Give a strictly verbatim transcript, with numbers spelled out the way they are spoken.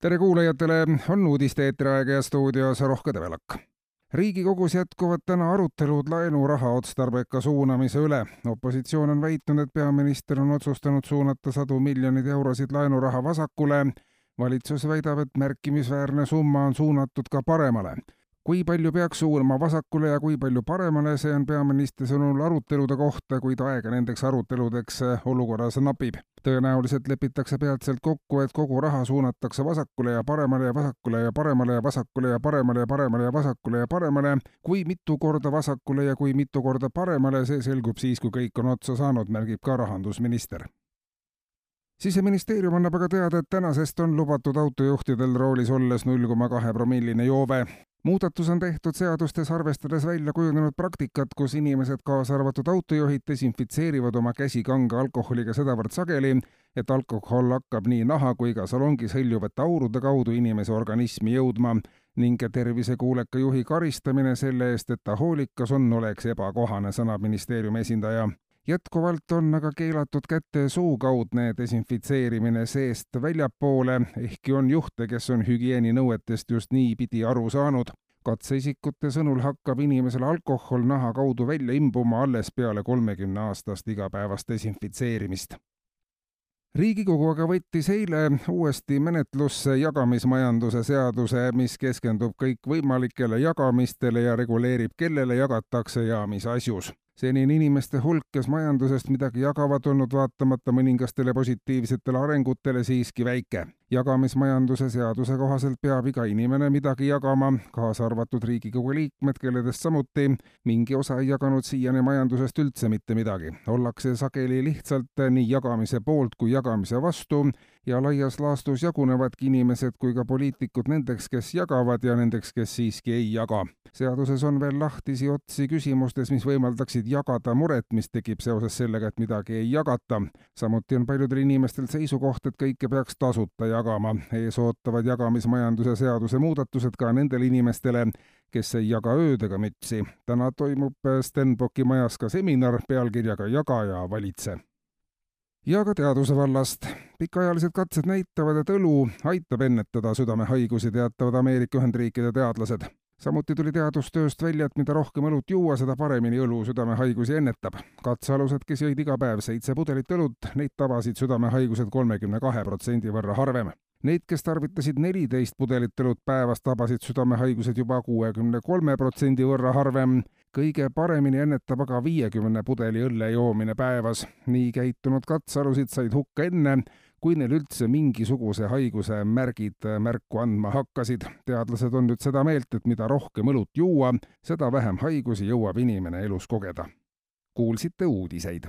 Tere kuulajatele, on uudiste eetriaeg ja stuudios Rohke Develak. Riigikogus jätkuvad täna arutelud laenuraha otstarbeka suunamise üle. Opositsioon on väitnud, et peaminister on otsustanud suunata sadu miljonid eurosid laenuraha vasakule. Valitsus väidab, et märkimisväärne summa on suunatud ka paremale. Kui palju peaks suunama vasakule ja kui palju paremale, see on peaministri sõnul arutelude kohta, kuid aega nendeks aruteludeks olukorras napib. Tõenäoliselt lepitakse peatselt kokku, et kogu raha suunatakse vasakule ja paremale ja vasakule ja paremale ja vasakule ja paremale ja paremale ja vasakule ja paremale. Kui mitu korda vasakule ja kui mitu korda paremale, see selgub siis, kui kõik on otsa saanud, märgib ka rahandusminister. Siseministeerium annab aga teada, et tänasest on lubatud autojuhtidel roolis olles null koma kaks promilline joove. Muudatus on tehtud seadustes arvestades välja kujunenud praktikat, kus inimesed kaasa arvatud autojuhid desinfitseerivad oma käsi kange alkoholiga sedavõrd sageli, et alkohol hakkab nii naha kui ka salongis hõljuvate aurude kaudu inimese organismi jõudma ning tervisekuuleka juhi karistamine selle eest, et ta hoolikas on, oleks ebakohane, sõnab ministeeriumi esindaja. Jätkuvalt on aga keelatud kätte suukaudne desinfitseerimine seest väljapoole, ehkki on juhte, kes on hügieeninõuetest just nii pidi aru saanud. Katseisikute sõnul hakkab inimesel alkohol naha kaudu välja imbuma alles peale kolmekümne aastast igapäevast desinfitseerimist. Riigikogu aga võttis eile uuesti menetlusse jagamismajanduse seaduse, mis keskendub kõik võimalikele jagamistele ja reguleerib, kellele jagatakse ja mis asjus. Senini inimeste hulk, kes majandusest midagi jagavad, olnud vaatamata mõningastele positiivsetele arengutele siiski väike. Jagamismajanduse seaduse kohaselt peab iga inimene midagi jagama, kaasa arvatud Riigikogu liikmed, kelledest samuti mingi osa ei jaganud siiani majandusest üldse mitte midagi. Ollakse sageli lihtsalt nii jagamise poolt kui jagamise vastu ja laias laastus jagunevadki inimesed kui ka poliitikud nendeks, kes jagavad ja nendeks, kes siiski ei jaga. Seaduses on veel lahtisi otsi küsimustes, mis võimaldaksid jagada muret, mis tekib seoses sellega, et midagi ei jagata. Samuti on paljudel inimestel seisukoht, et kõike peaks tasuta jagama. Ees ootavad jagamismajanduse seaduse muudatused ka nendele inimestele, kes ei jaga ööd ega mütsi. Täna toimub Stenbocki majas ka seminar pealkirjaga Jaga ja valitse. Ja ka teaduse vallast. Pikaajalised katsed näitavad, et õlu aitab ennetada südamehaigusi, teatavad Ameerika Ühendriikide teadlased. Samuti tuli teadustööst välja, et mida rohkem õlut juua, seda paremini õlu südamehaigusi ennetab. Katsealused, kes jõid iga päev seitse pudelit õlut, neid tabasid südamehaigused kolmekümne kahe protsendi võrra harvem. Neid, kes tarvitasid neliteist pudelit õlut päevas, tabasid südamehaigused juba kuuekümne kolme protsendi võrra harvem. Kõige paremini ennetab aga viiekümne pudeli õlle joomine päevas. Nii käitunud katsealusid said hukka enne, kui neil üldse mingisuguse haiguse märgid märku andma hakkasid. Teadlased on nüüd seda meelt, et mida rohkem õlut juua, seda vähem haigusi jõuab inimene elus kogeda. Kuulsite uudiseid.